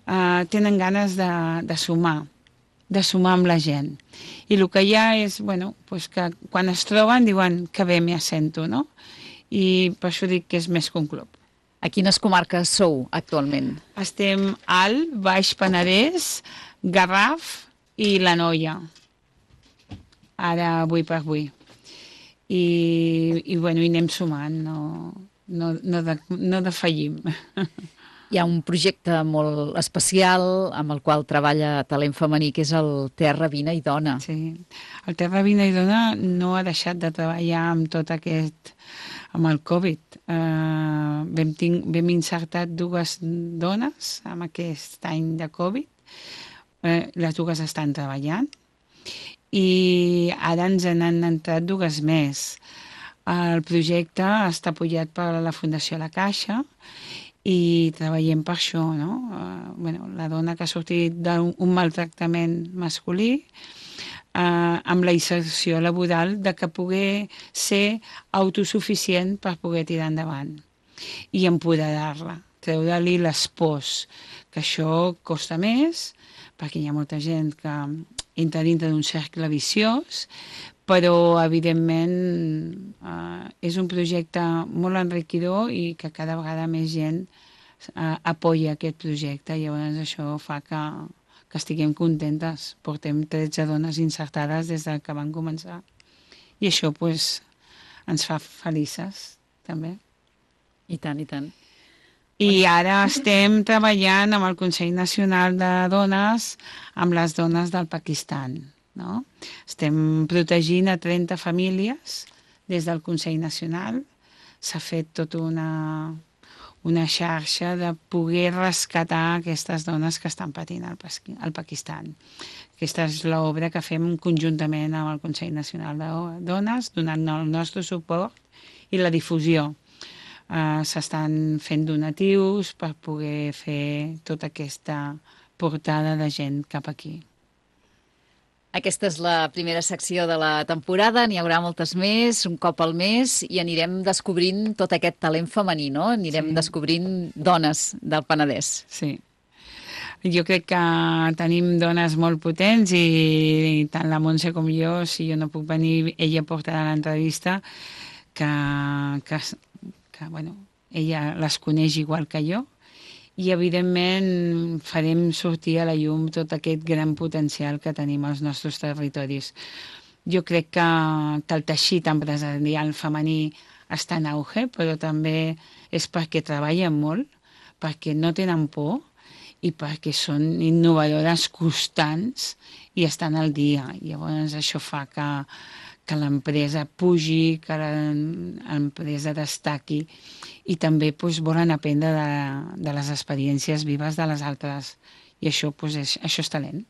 tenen ganes de sumar amb la gent. I el que hi ha és, bueno, pues que quan es troben diuen que bé m'hi assento, no? I per això dic que és més que un club. A quines comarques sou actualment? Estem Alt, Baix Penedès, Garraf i l'Anoia. Ara, avui per avui. I bueno, hi anem sumant, no defallim. Hi ha un projecte molt especial amb el qual treballa talent femení, que és el Terra, Vine i Dona. Sí, el Terra, Vine i Dona no ha deixat de treballar amb tot aquest, amb el Covid. Vam insertat 2 dones amb aquest any de Covid. Les 2 estan treballant i ara ens han entrat 2 més. El projecte està apoyat per la Fundació La Caixa i treballem per això, no? La dona que ha sortit d'un maltractament masculí, amb la inserció laboral de que pugui ser autosuficient per poder tirar endavant i empoderar-la, treure-li les pors, que això costa més, perquè hi ha molta gent que entra dintre d'un cercle viciós, però evidentment és un projecte molt enriquidor i que cada vegada més gent apoya aquest projecte, i llavors això fa que estiguem contentes. Portem 13 dones insertades des que van començar i això pues, ens fa felices també. I tant, i tant. I ara estem treballant amb el Consell Nacional de Dones, amb les dones del Pakistan. No? Estem protegint a 30 famílies des del Consell Nacional. S'ha fet tota una xarxa de poder rescatar aquestes dones que estan patint al Pakistan. Aquesta és l'obra que fem conjuntament amb el Consell Nacional de Dones, donant el nostre suport i la difusió. S'estan fent donatius per poder fer tota aquesta portada de gent cap aquí. Aquesta és la primera secció de la temporada, n'hi haurà moltes més, un cop al mes, i anirem descobrint tot aquest talent femení, no? Anirem descobrint dones del Penedès. Sí. Jo crec que tenim dones molt potents i tant la Montse com jo, si jo no puc venir, ella portarà l'entrevista, que bueno, ella les coneix igual que jo, i evidentment farem sortir a la llum tot aquest gran potencial que tenim als nostres territoris. Jo crec que el teixit empresarial femení està en auge, però també és perquè treballen molt, perquè no tenen por i perquè són innovadores constants i estan al dia. Llavors això fa que l'empresa pugi, que l'empresa destaqui i també volen aprendre de les experiències vives de les altres. I això, això és talent.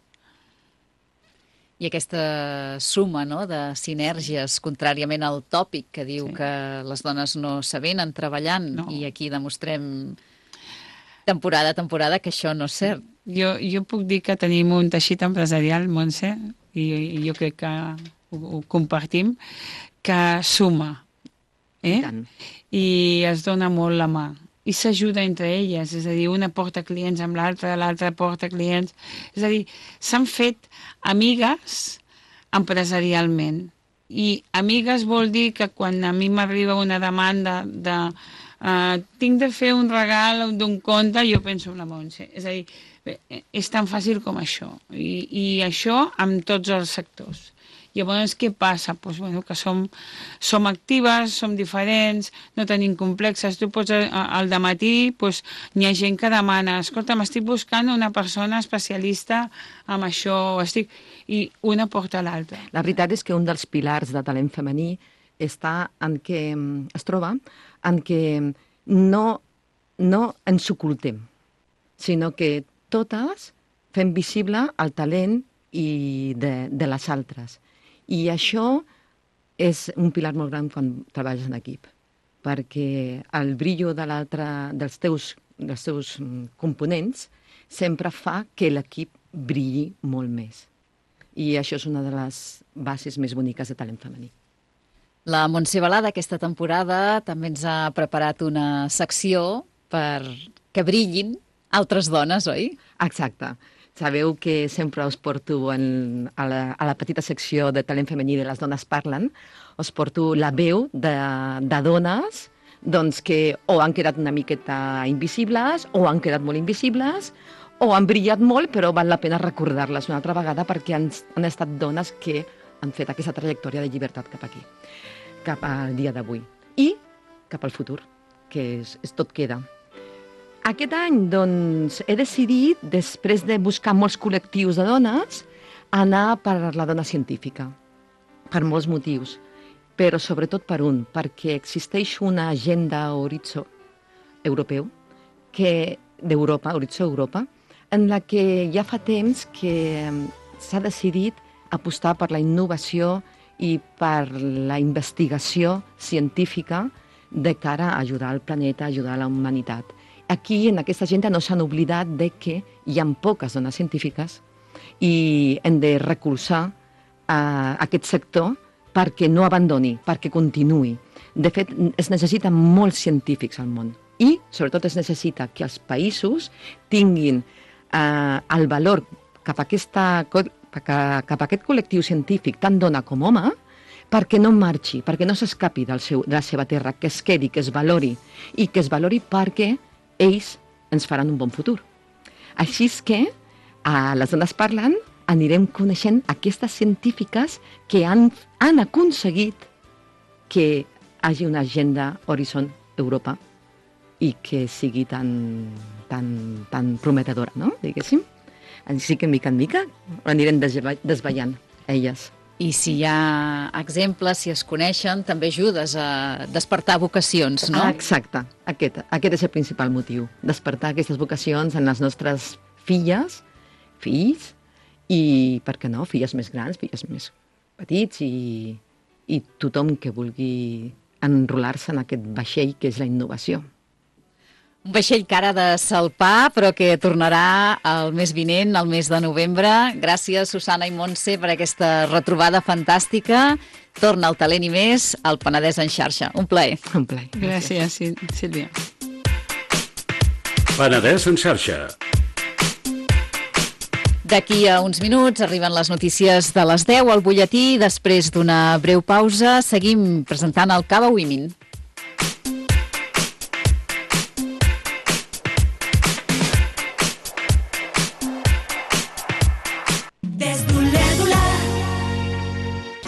I aquesta suma, no?, de sinergies, contràriament al tòpic que diu que les dones no s'avenen treballant, i aquí demostrem temporada a temporada que això no és cert. Jo puc dir que tenim un teixit empresarial, Montse, i jo crec que ho compartim, que suma, i es dona molt la mà i s'ajuda entre elles, és a dir, una porta clients amb l'altra porta clients, és a dir, s'han fet amigues empresarialment, i amigues vol dir que quan a mi m'arriba una demanda de tinc de fer un regal d'un conte, jo penso en la Montse, és a dir, és tan fàcil com això, i això amb tots els sectors. Llavors, què passa? Pues, bueno, que som actives, som diferents, no tenim complexes. Tu pots, al dematí, pues, n'hi ha gent que demana, escolta, m'estic buscant una persona especialista en això, i una porta a l'altra. La veritat és que un dels pilars de talent femení està en què es troba en què no ens ocultem, sinó que totes fem visible el talent de les altres. I això és un pilar molt gran quan treballes en equip, perquè el brillo dels teus components sempre fa que l'equip brilli molt més. I això és una de les bases més boniques de talent femení. La Montse Balada aquesta temporada també ens ha preparat una secció per que brillin altres dones, oi? Exacte. Sabeu que sempre us porto a la petita secció de talent femení de les dones parlen, us porto la veu de dones doncs, que o han quedat una miqueta invisibles o han quedat molt invisibles o han brillat molt, però val la pena recordar-les una altra vegada perquè han estat dones que han fet aquesta trajectòria de llibertat cap aquí, cap al dia d'avui i cap al futur, que és tot queda. Aquest any, doncs, he decidit, després de buscar molts col·lectius de dones, anar per la dona científica, per molts motius, però sobretot per un, perquè existeix una agenda horitzó europeu, d'Europa, horitzó Europa, en la que ja fa temps que s'ha decidit apostar per la innovació i per la investigació científica de cara a ajudar el planeta, a ajudar la humanitat. Aquí, en aquesta agenda, no s'han oblidat de que hi ha poques dones científiques i hem de recolzar aquest sector perquè no abandoni, perquè continuï. De fet, es necessiten molts científics al món i, sobretot, es necessita que els països tinguin el valor cap a aquest col·lectiu científic, tant dona com home, perquè no marxi, perquè no s'escapi de la seva terra, que es quedi, que es valori, i que es valori perquè ells ens faran un bon futur. Així és que a Les Dones Parlen anirem coneixent aquestes científiques que han aconseguit que hi hagi una agenda Horizon Europa i que sigui tan prometedora, no? Diguéssim. Així que, mica en mica, anirem desvetllant elles. I si hi ha exemples, si es coneixen, també ajudes a despertar vocacions, no? Exacte. Aquest és el principal motiu. Despertar aquestes vocacions en les nostres filles, fills, i, per què no, filles més grans, filles més petits, i tothom que vulgui enrolar-se en aquest vaixell que és la innovació. Un vaixell que ara de salpar, però que tornarà el mes vinent, el mes de novembre. Gràcies, Susana i Montse, per aquesta retrobada fantàstica. Torna el talent i més al Penedès en xarxa. Un plaer. Un plaer. Gràcies, Sílvia. Penedès en xarxa. D'aquí a uns minuts arriben les notícies de les 10 al butlletí. Després d'una breu pausa seguim presentant el Cava Women.